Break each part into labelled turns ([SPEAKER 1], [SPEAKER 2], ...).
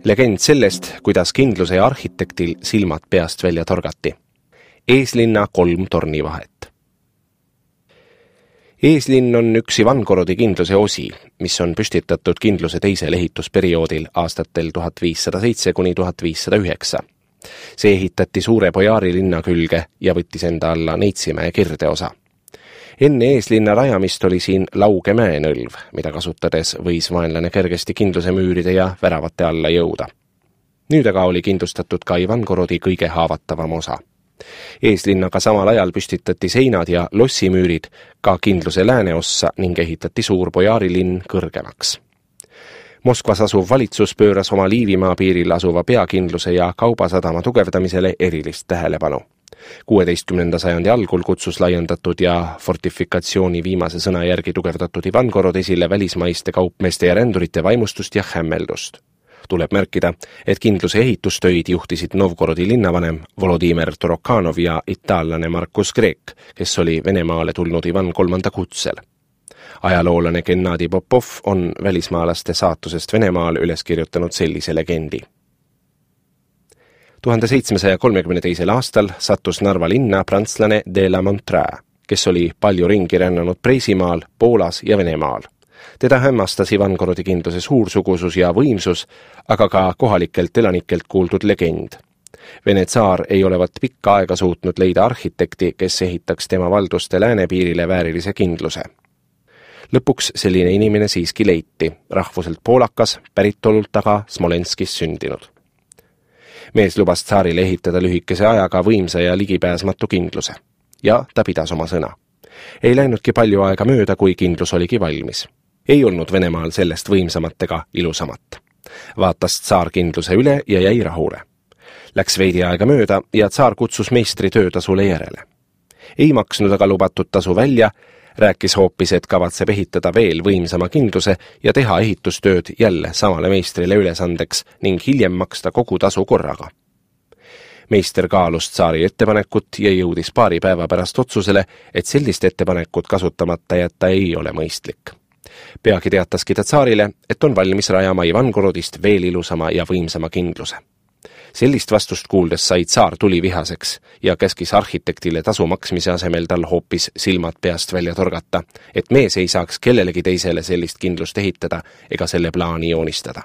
[SPEAKER 1] Legend sellest, kuidas kindluse ja arhitektil silmad peast välja torgati. Eeslinna 3 tornivahet. Eeslinn on üks Ivangorodi kindluse osi, mis on püstitatud kindluse teisel ehitusperioodil aastatel 1507–1509. See ehitati Suure Bojaari linna külge ja võttis enda alla Neitsimäe kirdeosa. Enne Eeslinna rajamist oli siin Lauge mäenõlv, mida kasutades võis vaenlane kergesti kindluse müüride ja väravate alla jõuda. Nüüd aga oli kindlustatud ka Ivangorodi kõige haavatavam osa. Eeslinnaga samal ajal püstitati seinad ja lossimüürid ka kindluse lääneossa ning ehitati Suur Bojaari linn kõrgemaks. Moskvas asuv valitsus pööras oma Liivimaa piiril asuva peakindluse ja kaubasadama tugevdamisele erilist tähelepanu. 16. sajandi algul kutsus laiendatud ja fortifikatsiooni viimase sõna järgi tugevdatud Ivangorod esile välismaiste kaupmeeste ja rändurite vaimustust ja hämmeldust. Tuleb märkida, et kindluse ehitustöid juhtisid Novgorodi linnavanem Volodimir Torokanov ja itaallane Markus Kreek, kes oli Venemaale tulnud Ivan III kutsel. Ajaloolane Gennadi Popov on välismaalaste saatusest Venemaal üles kirjutanud sellise legendi. 1732. aastal sattus Narva linna prantslane de la Montreux, kes oli palju ringi rännanud Preisimaal, Poolas ja Venemaal. Teda hämmastas Ivangorodi kindluse suursugusus ja võimsus, aga ka kohalikelt elanikelt kuuldud legend. Vene tsaar ei olevat pikka aega suutnud leida arhitekti, kes ehitaks tema valduste läänepiirile väärilise kindluse. Lõpuks selline inimene siiski leiti, rahvuselt poolakas, päritolult aga Smolenskis sündinud. Mees lubas tsaarile ehitada lühikese ajaga võimsa ja ligipääsmatu kindluse. Ja ta pidas oma sõna. Ei läinudki palju aega mööda, kui kindlus oligi valmis. Ei olnud Venemaal sellest võimsamat ega ilusamat. Vaatas tsaar kindluse üle ja jäi rahule. Läks veidi aega mööda ja tsaar kutsus meistri töötasule järele. Ei maksnud aga lubatud tasu välja, rääkis hoopis, et kavatseb ehitada veel võimsama kindluse ja teha ehitustööd jälle samale meistrile ülesandeks ning hiljem maksta kogu tasu korraga. Meister kaalus tsaari ettepanekut ja jõudis paari päeva pärast otsusele, et sellist ettepanekut kasutamata jätta ei ole mõistlik. Peagi teataski ta tsaarile, et on valmis rajama Ivangorodist veel ilusama ja võimsama kindluse. Sellist vastust kuuldes sai tsaar tulivihaseks ja käskis arhitektile tasu maksmise asemel tal hoopis silmad peast välja torgata, et mees ei saaks kellelegi teisele sellist kindlust ehitada ega selle plaani joonistada.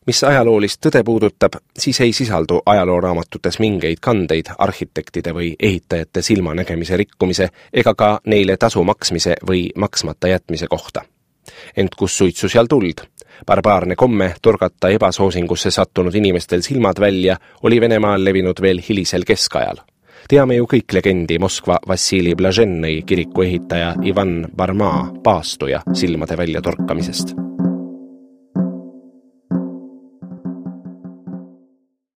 [SPEAKER 1] Mis ajaloolist tõde puudutab, siis ei sisaldu ajalooraamatutes mingeid kandeid arhitektide või ehitajate silmanägemise rikkumise ega ka neile tasu maksmise või maksmata jätmise kohta. Ent kus suitsu seal tuld? Barbaarne komme torgata ebasoosingusse sattunud inimestel silmad välja oli Venemaal levinud veel hilisel keskajal. Teame ju kõik legendi Moskva Vassili Blažennõi kiriku ehitaja Ivan Barmaa paastuja silmade välja torkamisest.